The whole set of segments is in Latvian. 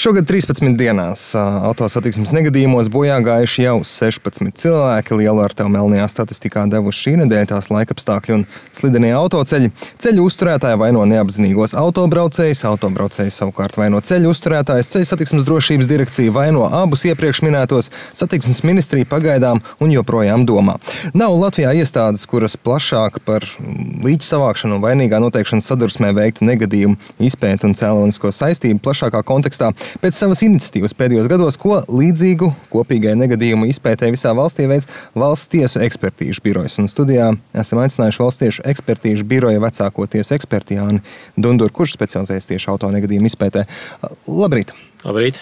Šogad 13 dienās autosatiksmes negadījumos bojā gājuši jau 16 cilvēki. Lielu ar tev melnajā statistikā devuši šī nedēļa tās laikapstākļi un slidenie autoceļi. Ceļu uzturētāji vaino neapzinīgos autobraucējus, autobraucēji savukārt vaino ceļu uzturētājus, Ceļu satiksmes drošības direkcija vaino abus iepriekš minētos, satiksmes ministrija pagaidām un joprojām domā. Nav Latvijā iestādes, kuras plašāk par līķu savākšanu un vainīgā noteikšanas sadursmē veiktu negadījumu izpēti un cēlonisko saistību plašākā kontekstā. Pēc savas iniciatīvas pēdējos gados, ko līdzīgu kopīgai negadījumu izpētē visā valstī veids Valsts tiesu ekspertīžu birojas. Un studijā esam aicinājuši Valsts tiesu ekspertīžu biroja vecāko tiesu eksperti Jāni Dunduru, kurš specializējas tieši auto negadījumu izpētē. Labrīt! Labrīt!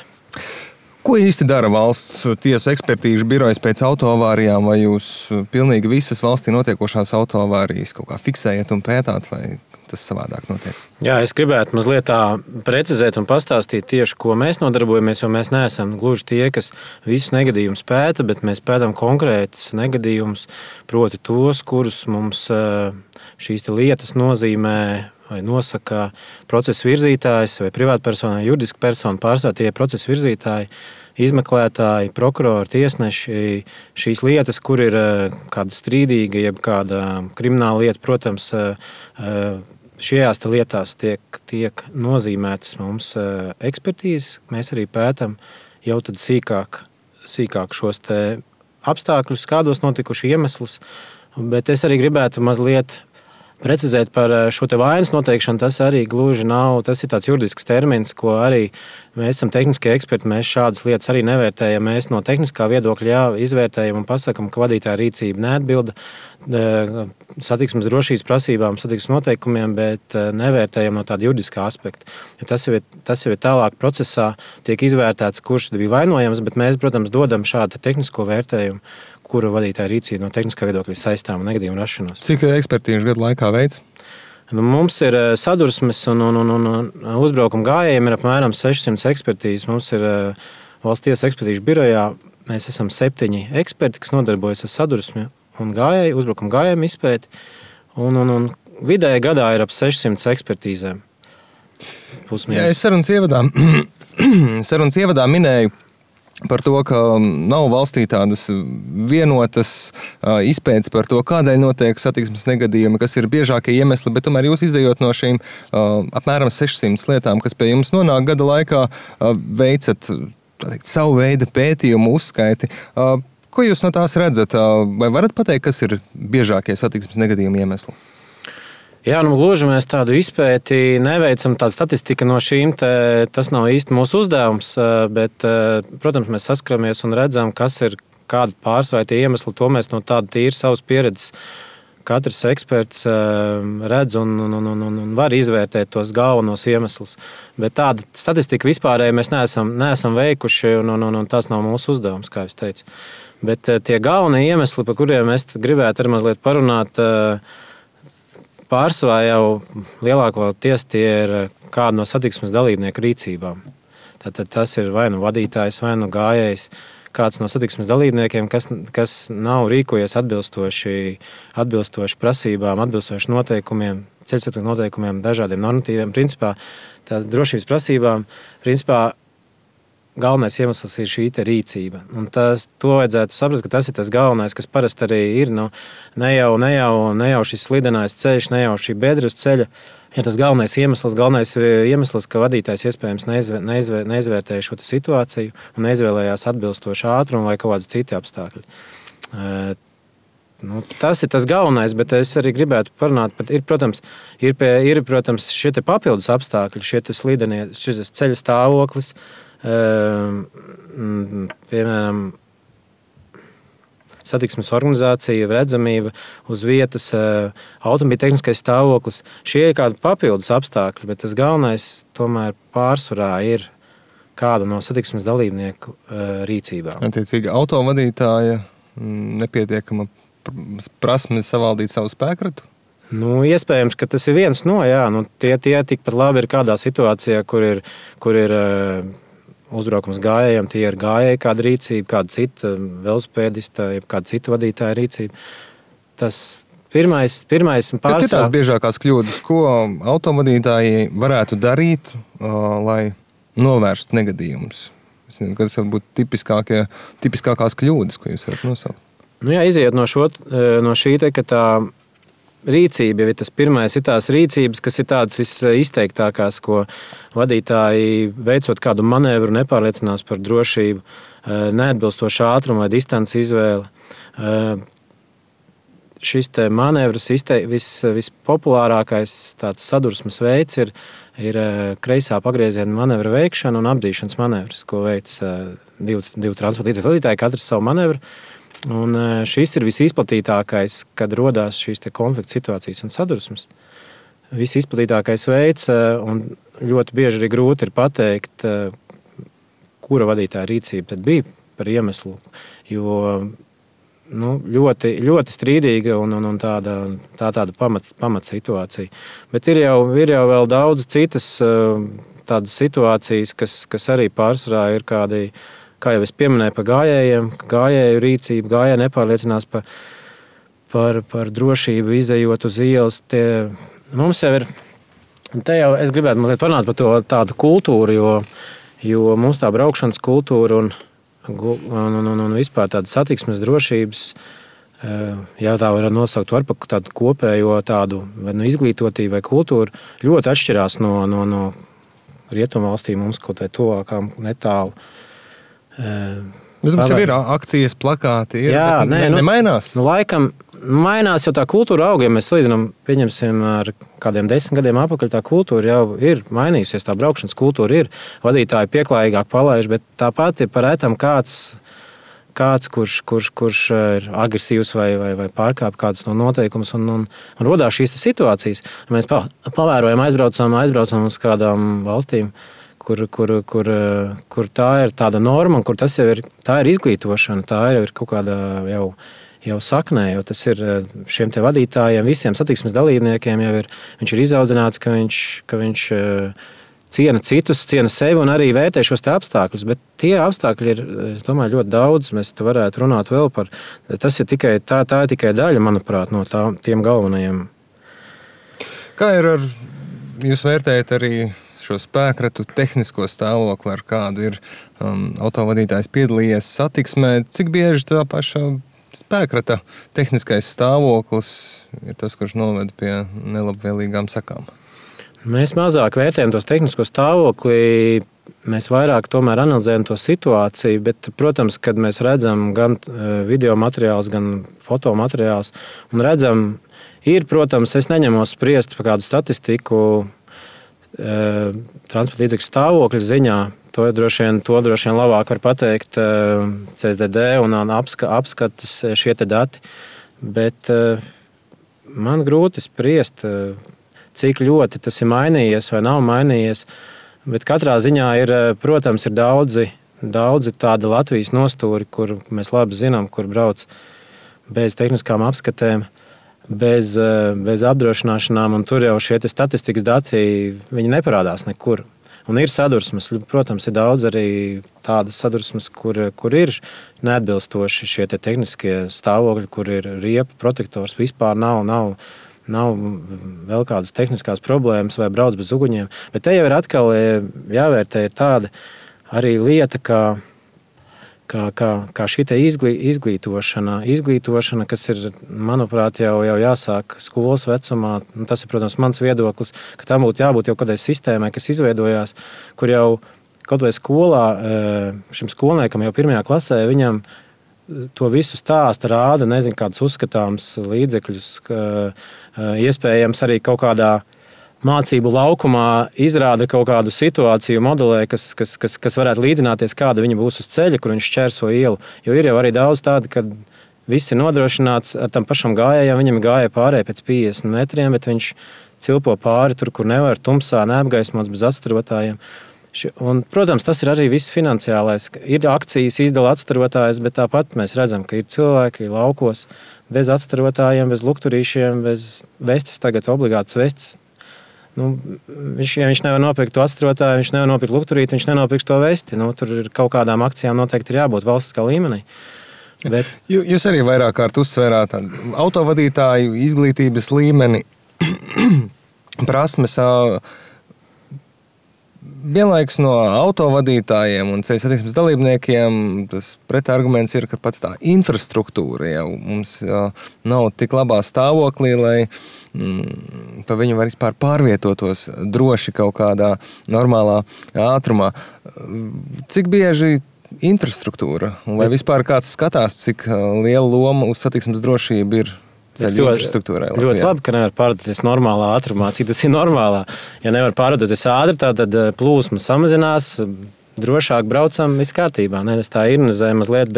Ko īsti dara Valsts tiesu ekspertīžu birojas pēc autoavārijām? Vai jūs pilnīgi visas valstī notiekošās autoavārijas kaut kā fiksējat un pētāt, vai tas savādāk notiek? Jā, es gribētu mazliet tā precizēt un pastāstīt tieši, ko mēs nodarbojamies, jo mēs neesam gluži tie, kas visus negadījumus pēta, bet mēs pētām konkrētus negadījumus, proti tos, kurus mums šīs lietas nozīmē vai nosaka procesa virzītājs vai privātpersona, juridiska persona, pārstāv tie procesa virzītāji, izmeklētāji, prokurori, tiesneši, šīs lietas, kur ir kāda strīdīga, jeb kāda krimināla lieta, protams, šajās lietās tiek nozīmētas mums ekspertīzes. Mēs arī pētam jau tad sīkāk šos te apstākļus, kādos notikuši iemeslus, bet es arī gribētu mazliet precizēt par šo te vainas noteikšanu. Tas arī gluži nav, tas ir tāds juridisks termins, ko arī mēs esam tehniskie eksperti, mēs šādas lietas arī nevērtējam. Mēs no tehniskā viedokļa izvērtējam un pasakam, ka vadītāja rīcība neatbilda satiksmes drošības prasībām, satiksmes noteikumiem, bet nevērtējam no tāda juridiskā aspekta. Jo tas jau ir tālāk procesā, tiek izvērtēts, kurš bija vainojams, bet mēs, protams, dodam šādu tehnisko vērtējumu, kura vadītāja rīcība no tehniskā viedokļa saistām un negadījumu rašanos. Cik ekspertīžu gadu laikā veids? Mums ir sadursmes un uzbraukuma gājējiem ir apmēram 600 ekspertīzes. Mums ir Valsts tiesu ekspertīžu birojā. Mēs esam 7 eksperti, kas nodarbojas ar sadursmi un gājēju, uzbraukuma gājējumu izpēti. Un vidēji gadā ir ap 600 ekspertīzēm. Jā, es sarunas ievadā minēju par to, ka nav valstī tādas vienotas izpētes par to, kādēļ notiek satiksmes negadījumi, kas ir biežākie iemesli, bet tomēr jūs izejot no šīm apmēram 600 lietām, kas pie jums nonāk gada laikā, veicat savu veidu pētījumu uzskaiti. Ko jūs no tās redzat? Vai varat pateikt, kas ir biežākie satiksmes negadījumi iemesli? Jā, gluži mēs tādu izpēti neveicam, tāda statistika no šīm, tas nav īsti mūsu uzdevums, bet, protams, mēs saskaramies un redzam, kas ir kādi pārsvarā tie iemesli, to mēs no tāda tīri savas pieredzes katrs eksperts redz un var izvērtēt tos galvenos iemeslus. Bet tāda statistika vispārēji mēs neesam veikuši, un tas nav mūsu uzdevums, kā es teicu. Bet tie galvenie iemesli, par kuriem mēs gribētu arī mazliet parunāt, pārsvarā jau lielākoties tie ir kāda no satiksmes dalībnieku rīcībām. Tātad tas ir vai nu vadītājs, vai nu gājējs, kāds no satiksmes dalībniekiem, kas nav rīkojies atbilstoši prasībām, atbilstoši noteikumiem, ceļsatiksmes noteikumiem, dažādiem normatīviem. Principā tā drošības prasībām, galvenais iemesls ir šī rīcība. Un to vajadzētu saprast, ka tas ir tas galvenais, kas parasti arī ir. Ne jau šis slidenais ceļš, ne jau šī bedra uz ceļa. Ja tas galvenais iemesls, ka vadītājs iespējams neizvērtēja šo situāciju un neizvēlējās atbilstošu ātrumu vai kaut kādas citi apstākļi. Tas ir tas galvenais, bet es arī gribētu parunāt, protams, šie papildus apstākļi, šis ceļa stāvoklis, piemēram, satiksmes organizācija, redzamība uz vietas, automobīļa tehniskais stāvoklis. Šie ir kādi papildus apstākļi, bet tas galvenais tomēr pārsvarā ir kāda no satiksmes dalībnieku rīcībām. Attiecīgi, autovadītāja nepietiekama prasme savaldīt savu spēkratu? Iespējams, ka tas ir viens no, tie tikpat labi ir kādā situācijā, kur ir uzbraukums gājējiem, tie ir gājēji kāda rīcība, kāda cita velosipēdista, kāda cita vadītāja rīcība. Tas pirmais un Kas ir tās biežākās kļūdas, ko autovadītāji varētu darīt, lai novērst negadījumus? Kas var būt tipiskākās kļūdas, ko jūs varat nosaukt? Jā, iziet no šī te, ka tā rīcība, ja tas pirmais ir tās rīcības, kas ir tādas visizteiktākās, ko vadītāji veicot kādu manevru nepārliecinās par drošību, neatbilstošu ātrumu vai distanci izvēli. Šis te manevrs vispopulārākais tāds sadursmes veids ir kreisā pagrieziena manevra veikšana un apdīšanas manevrs, ko veic divu transporta līdzekļu vadītāji, katrs savu manevru. Un šis ir visizplatītākais, kad rodās šīs konflikta situācijas un sadursmes. Visizplatītākais veids, un ļoti bieži arī grūti ir pateikt, kura vadītāja rīcība tad bija par iemeslu, jo ļoti, ļoti strīdīga un tāda pamat situācija. Bet ir jau vēl daudz citas tādas situācijas, kas arī pārsvarā ir kādi, kā jau es pieminēju, par gājējiem, gājēju rīcību, gājēji nepārliecinās par drošību, izejot uz ielas. Mums jau ir, es gribētu mazliet parunāt par to tādu kultūru, jo mums tā braukšanas kultūra un vispār tāda satiksmes drošības, ja tā var nosaukt par tādu kopējo tādu vai izglītotību vai kultūru, ļoti atšķirās no rietumvalstīm mums kaut vai tuvākām netālu. Bet mums jau ir akcijas, plakāti, nemainās? Laikam mainās jau tā kultūra auga, ja mēs salīdzinām, pieņemsim, ar kādiem 10 gadiem atpakaļ, tā kultūra jau ir mainījusies, tā braukšanas kultūra ir, vadītāji pieklājīgāk palaiž, bet tāpat ir par ētam kāds, kurš ir agresīvs vai pārkāp kādus no noteikumus un rodās šīs situācijas. Mēs pavērojam, aizbraucam uz kādām valstīm, kur tā ir tāda norma, un kur tas jau ir, tā ir izglītošana, tā ir kaut kāda jau saknē, jo tas ir šiem te vadītājiem, visiem satiksmes dalībniekiem jau viņš ir izaudzināts, ka viņš ciena citus, ciena sevi un arī vērtē šos te apstākļus, bet tie apstākļi ir, es domāju, ļoti daudz, mēs te varētu runāt vēl par, tas ir tikai, tā ir tikai daļa, manuprāt, no tiem galvenajiem. Kā ir jūs vērtējat arī šo spēkratu tehnisko stāvokli, ar kādu ir autovadītājs piedalījies satiksmē, cik bieži tā paša spēkrata tehniskais stāvoklis ir tas, kurš noved pie nelabvēlīgām sakām? Mēs mazāk vērtējam tos tehnisko stāvokli, mēs vairāk tomēr analizējam to situāciju, bet, protams, kad mēs redzam gan video materiālus, gan fotomateriālus un redzam, protams, es neņemos spriest par kādu statistiku transporta līdzekļu stāvokļa ziņā. To droši vien labāk var pateikt CSDD un apskatas šie te dati. Bet man grūti spriest, cik ļoti tas ir mainījies vai nav mainījies. Bet katrā ziņā ir daudzi tādi Latvijas nostūri, kur mēs labi zinām, kur brauc bez tehniskām apskatēm, bez apdrošināšanām, un tur jau šie statistikas dati viņi neparādās nekur. Un ir sadursmes, protams, ir daudz arī tādas sadursmes, kur ir neatbilstoši šie tehniskie stāvokļi, kur ir riepa, protektors, vispār nav vēl kādas tehniskās problēmas vai brauc bez uguņiem. Bet te jau ir atkal jāvērtē ir tāda arī lieta, kā šī izglītošana, kas ir, manuprāt, jau jāsāk skolas vecumā. Tas ir, protams, mans viedoklis, ka tam būtu jābūt jau kādai sistēmai, kas izveidojās, kur jau kaut vai skolā šim skolniekam jau 1. klasē viņam to visu stāsta, rāda, nezinu, kādus uzskatāms līdzekļus, iespējams arī kaut kādā mācību laukumā izrāda kaut kādu situāciju modelē, kas varētu līdzināties, kāda viņa būs uz ceļa, kur viņš šķērso ielu. Jo ir jau arī daudz tādu, kad viss ir nodrošināts ar tam pašam gājējam, viņam gāja pārēj pēc 50 metriem, bet viņš cilpo pāri tur, kur nevar, tumsā, neapgaismots bez atstarotājiem. Un, protams, tas ir arī viss finansiālais. Ir akcijas, izdala atstarotājs, bet tāpat mēs redzam, ka ir cilvēki laukos bez atstarotājiem, bez lukturīšiem, bez vestes, tagad obligātas vestes. Viņš nevar nopirkt to atstārotāju, viņš nevar nopirkt lukturīti, viņš nenopirks to vesti. Tur ir kaut kādām akcijām noteikti ir jābūt valstiskā līmenī. Bet... Jūs arī vairāk kārt uzsvērāt autovadītāju izglītības līmeni, prasmes. vienlaikus no autovadītājiem un ceļu satiksmes dalībniekiem tas pretarguments ir, ka pat tā infrastruktūra jau mums nav tik labā stāvoklī, lai pa viņu var vispār pārvietotos droši kaut kādā normālā ātrumā. Cik bieži infrastruktūra, un vai vispār kāds skatās, cik liela loma uz satiksmes drošību ir ceļu infrastruktūrai Latvijā? Ļoti labi, ka nevar pārvietoties normālā ātrumā. Cik tas ir normālā? Ja nevar pārvietoties ātri, tad plūsma samazinās, drošāk braucam, viss kārtībā. Ne, es tā ironizēju mazliet,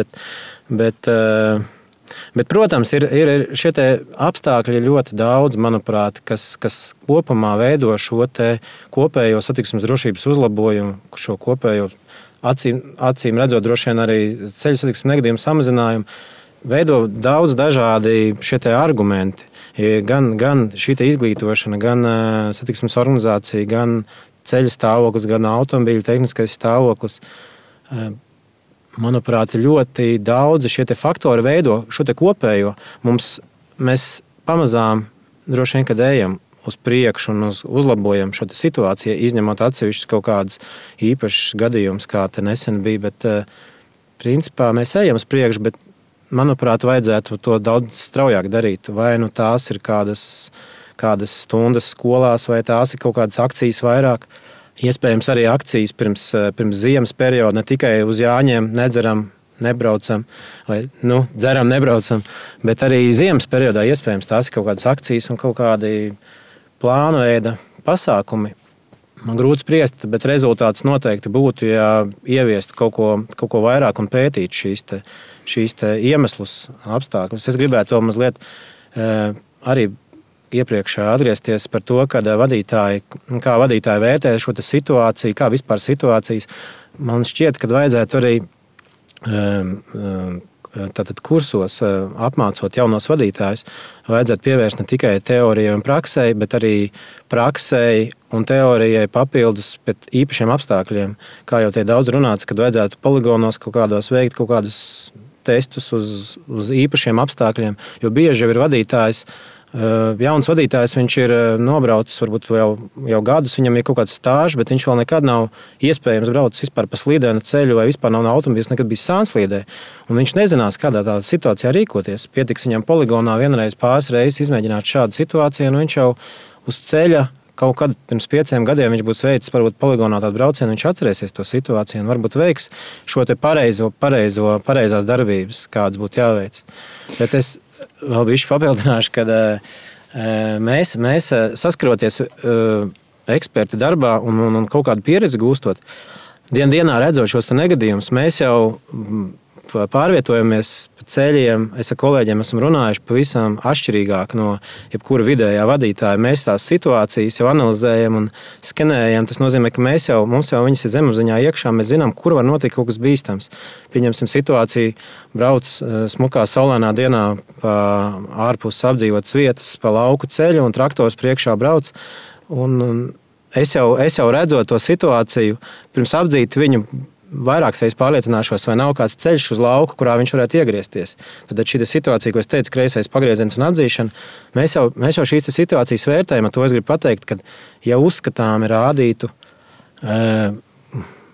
bet protams, ir šie te apstākļi ļoti daudz, manuprāt, kas kopumā veido šo te kopējo satiksmes drošības uzlabojumu, šo kopējo acīm redzot droši vien arī ceļu satiksmes negadījumu samazinājumu, veido daudz dažādi šie te argumenti. Gan šī te izglītošana, gan satiksmes organizācija, gan ceļa stāvoklis, gan automobīļa tehniskais stāvoklis. Manuprāt, ļoti daudzi šie te faktori veido šo te kopējo. Mēs pamazām droši vien, kad ejam uz priekšu un uzlabojam šo te situāciju, izņemot atsevišķus kaut kādus īpašus gadījumus, kā te nesen bija, bet principā mēs ejam uz priekšu, bet manuprāt, vajadzētu to daudz straujāk darīt. Vai nu tās ir kādas stundas skolās, vai tās ir kaut kādas akcijas vairāk. Iespējams arī akcijas pirms ziemas perioda, ne tikai uz Jāņiem nedzeram, nebraucam, vai dzeram, nebraucam, bet arī ziemas periodā iespējams tās ir kaut kādas akcijas un kaut kādi plānu veida pasākumi. Man grūti spriest, bet rezultāts noteikti būtu, ja ieviestu kaut ko vairāk un pētītu šīs te iemeslus, apstākļus. Es gribētu to mazliet arī iepriekš atgriezties par to, kā vadītāji vērtē šo te situāciju, kā vispār situācijas. Man šķiet, ka vajadzētu arī tātad kursos apmācot jaunos vadītājus, vajadzētu pievērst ne tikai teorijai un praksei, bet arī praksei un teorijai papildus pēc īpašiem apstākļiem. Kā jau te daudz runāts, kad vajadzētu poligonos kaut kādos veikt kaut kādus testus uz īpašiem apstākļiem, jo bieži jau ir vadītājs, jauns vadītājs, viņš ir nobraucis varbūt jau gadus, viņam ir kaut kāds stāžs, bet viņš vēl nekad nav iespējams braucis vispār pa slīdēnu ceļu vai vispār nav automobīls nekad bijis sānslīdē. Un viņš nezinās, kādā tādā situācijā rīkoties. Pietiks viņam poligonā vienreiz pāris reizes izmēģināt šādu situāciju, un viņš jau uz ceļa kaut kad pirms 5 gadiem viņš būs veicis varbūt poligonā tādu braucienu, viņš atcerēsies to situāciju un varbūt veiks šo te pareizās darbības, kādas būtu jāveic. Bet es vēl bišķi papildināšu, kad mēs saskaroties eksperti darbā un kaut kādu pieredzi gūstot, dienā redzot šos negadījumus, mēs jau pārvietojamies pa ceļiem. Es ar kolēģiem esam runājuši pavisam atšķirīgāk no jebkura vidējā vadītāja. Mēs tās situācijas jau analizējam un skenējam. Tas nozīmē, ka mums jau viņas ir zemapziņā iekšā. Mēs zinām, kur var notikt kaut kas bīstams. Pieņemsim situāciju, brauc smukā saulainā dienā pa ārpus apdzīvotas vietas, pa lauku ceļu un traktors priekšā brauc. Un es jau redzot to situāciju, pirms apdzīt viņu, vairākas reizes pārliecināšos, vai nav kāds ceļš uz lauku, kurā viņš varētu iegriezties. Tad šī situācija, ko es teicu, kreisais pagrieziens un atzīšana, mēs jau šīs situācijas vērtējam. To es gribu pateikt, ka ja uzskatām rādītu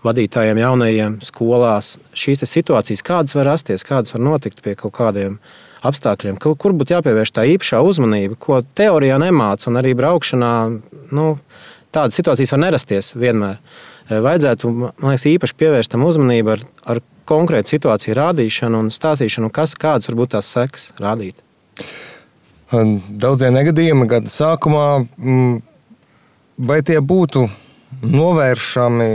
vadītājiem jaunajiem skolās šīs situācijas, kādas var rasties, kādas var notikt pie kaut kādiem apstākļiem, kur būtu jāpievērš tā īpašā uzmanība, ko teorijā nemāca, un arī braukšanā, tādas situācijas var nerasties vienmēr. Vajadzētu, man liekas, īpaši pievērst tam uzmanību ar konkrētu situāciju rādīšanu un stāstīšanu, kādas var būt tās sekas rādīt. Daudzie negadījumi gada sākumā, vai tie būtu novēršami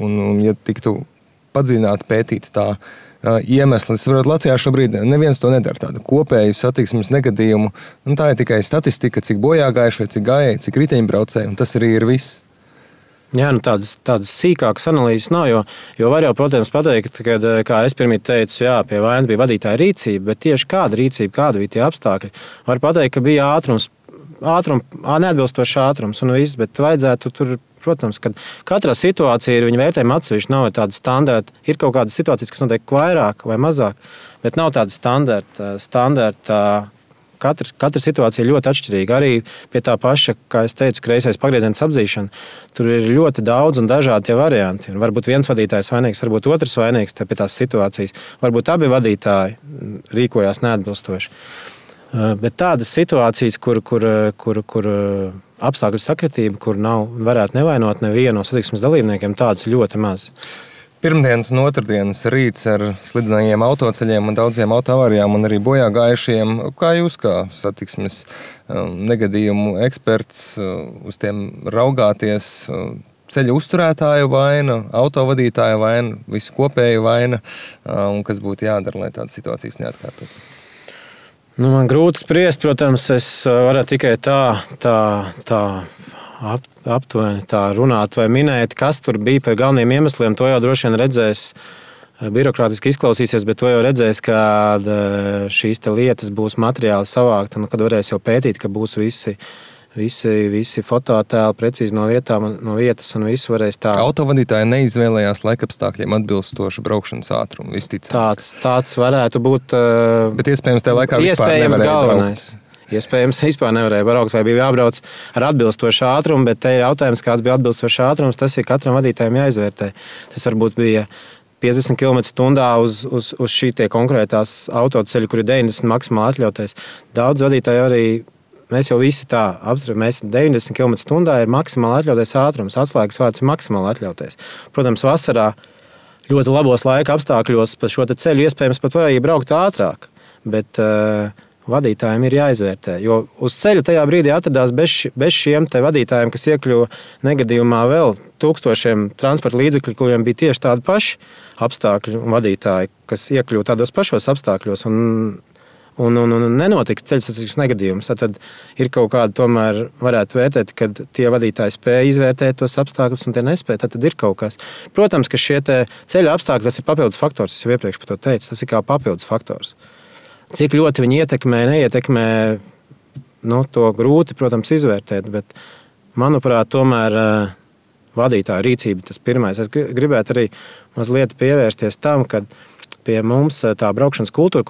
un ja tiktu padziļināti pētīt tā iemesli. Latvijā šobrīd neviens to nedara, tādu kopēju satiksmes negadījumu. Tā ir tikai statistika, cik bojāgājušie, cik gājēji, cik riteņbraucēji, un tas arī ir viss. Jā, tādas sīkākas analīzes nav, jo var jau, protams, pateikt, ka, kā es pirmīt teicu, jā, pie vainas bija vadītāja rīcība, bet tieši kāda rīcība, kāda bija tie apstākļi. Var pateikt, ka bija neatbilstošs ātrums un viss, bet vajadzētu tur, protams, kad katrā situācija ir viņa vērtējuma atsevišķi, nav tāda standarta. Ir kaut kādas situācijas, kas notiek vairāk vai mazāk, bet nav tāda standarta katra situācija ir ļoti atšķirīga. Arī pie tā paša, kā es teicu, kreisais pagrieziens apzīšana, tur ir ļoti daudz un dažādi tie varianti. Un varbūt viens vadītājs vainīgs, varbūt otrs vainīgs pie tās situācijas. Varbūt abi vadītāji rīkojās neatbilstoši. Bet tādas situācijas, kur apstākļu sakritība, kur varētu nevainot nevienu no satiksmes dalībniekiem, tādas ir ļoti maz. Pirmdienas un otrdienas rīts ar slidenajiem autoceļiem un daudziem autoavārijām un arī bojā gājušiem. Kā jūs, kā satiksmes negadījumu eksperts, uz tiem raugāties? Ceļa uzturētāju vaina, autovadītāja vaina, visu kopēju vaina, un kas būtu jādara, lai tādas situācijas neatkārtotu? Man grūti spriest, protams, es varu tikai tā aptuveni tā runāt vai minēt, kas tur bija par galveniem iemesliem. To jau droši vien redzēs, birokrātiski izklausīsies, bet to jau redzēs, kad šīs lietas būs materiāli savākti, un kad varēs jau pētīt, ka būs visi fototēli precīzi no vietas un visu varēs tā. Autovadītāji neizvēlējās laikapstākļiem atbilstošu braukšanas ātrumu, visticamāk. Tāds varētu būt. Bet iespējams tajā laikā vispār nevarēja galvenais. Braukt. Iespējams, vispār nevarēja braukt, vai bija jābrauc ar atbilstošu ātrumu, bet te ir jautājums, kāds bija atbilstošs ātrums, tas ir katram vadītājam jāizvērtē. Tas varbūt bija 50 km/h uz šī tie konkrētās autoceļi, kur ir 90 maksimāli atļautais. Daudz vadītāji arī, mēs jau visi tā apstram, 90 km/h ir maksimāli atļautais ātrums, atslēgas vārds ir maksimāli atļautais. Protams, vasarā ļoti labos laika apstākļos pa šo ceļu iespējams pat varēja braukt ātrāk, bet vadītājiem ir jāizvērtē, jo uz ceļa tajā brīdī atradās bez šiem te vadītājiem, kas iekļuva negadījumā vēl tūkstošiem transporta līdzekļu, kuriem bija tieši tādi paši apstākļi un vadītāji, kas iekļuva tādos pašos apstākļos un nenotika ceļu satiksmes negadījums. Tad ir kaut kāda tomēr varētu vērtēt, kad tie vadītāji spēja izvērtēt tos apstākļus un tie nespēja, tad ir kaut kas. Protams, ka šie te ceļa apstākļi, tas ir papildus faktors, es jau iepriekš par to teicu, tas ir kā papildus faktors. Cik ļoti viņi ietekmē, neietekmē, to grūti, protams, izvērtēt, bet, manuprāt, tomēr vadītāja rīcība tas pirmais. Es gribētu arī mazliet pievērsties tam, ka pie mums tā braukšanas kultūra,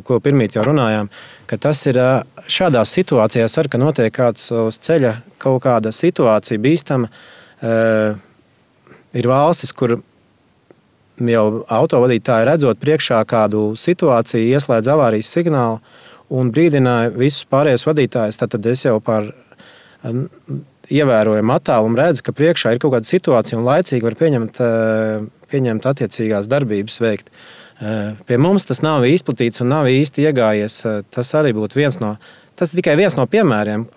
ko pirmīt jau runājām, ka tas ir šādās situācijās, ka notiek kāds uz ceļa kaut kāda situācija bīstama, ir valstis, kur jau autovadītāji redzot priekšā kādu situāciju, ieslēdz avārijas signālu un brīdināja visus pārējos vadītājus. Tad es jau par ievērojumu attālumu redzu, ka priekšā ir kaut kāda situācija un laicīgi var pieņemt attiecīgās darbības veikt. Pie mums tas nav izplatīts un nav īsti iegājies. Tas arī būtu tas tikai viens no piemēriem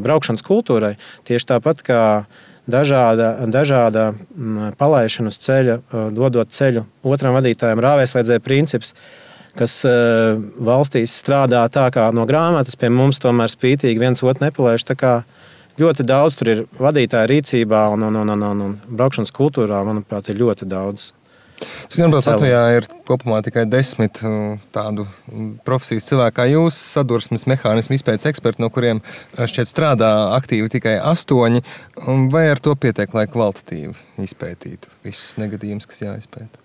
braukšanas kultūrai. Tieši tāpat kā dažāda palaišana uz ceļa, dodot ceļu otram vadītājam, rāvēslēdzēja princips, kas valstīs strādā tā kā no grāmatas, pie mums tomēr spītīgi viens otru nepalaiž. Tā kā ļoti daudz tur ir vadītāja rīcībā un braukšanas kultūrā, manuprāt, ir ļoti daudz. Cik manuprāt, Latvijā ir kopumā tikai 10 tādu profesijas cilvēku kā jūs, sadursmes mehānismu izpētes eksperti, no kuriem šķiet strādā aktīvi tikai 8. Vai ar to pietiek, lai kvalitatīvi izpētītu visus negadījumus, kas jāizpēta?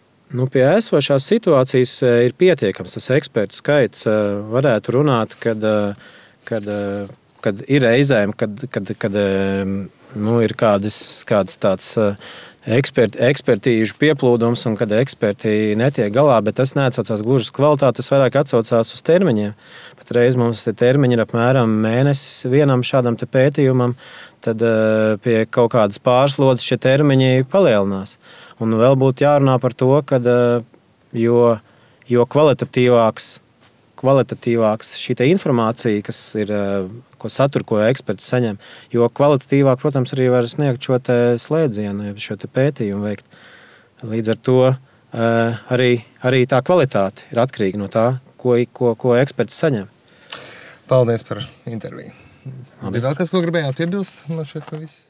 Pie esošās situācijas ir pietiekams tas ekspertu skaits. Varētu runāt, kad ir reizēm, kad ir kāds tāds ekspertīžu pieplūdums un kad eksperti netiek galā, bet tas neatsaucās gluži uz kvalitāti, tas vairāk atsaucās uz termiņiem. Pat reiz mums termiņi ir apmēram mēnesis vienam šādam te pētījumam, tad pie kaut kādas pārslodzes šie termiņi palielinās. Un vēl būtu jārunā par to, ka jo kvalitatīvāks šī informācija, kas ir, ko satur, ko eksperti saņem, jo kvalitatīvāk, protams, arī var sniegt šo slēdzienu, šo pētījumu veikt. Līdz ar to arī tā kvalitāte ir atkarīga no tā, ko eksperti saņem. Paldies par interviju. Bija vēl kas, ko gribējāt piebilst? Man šeit viss.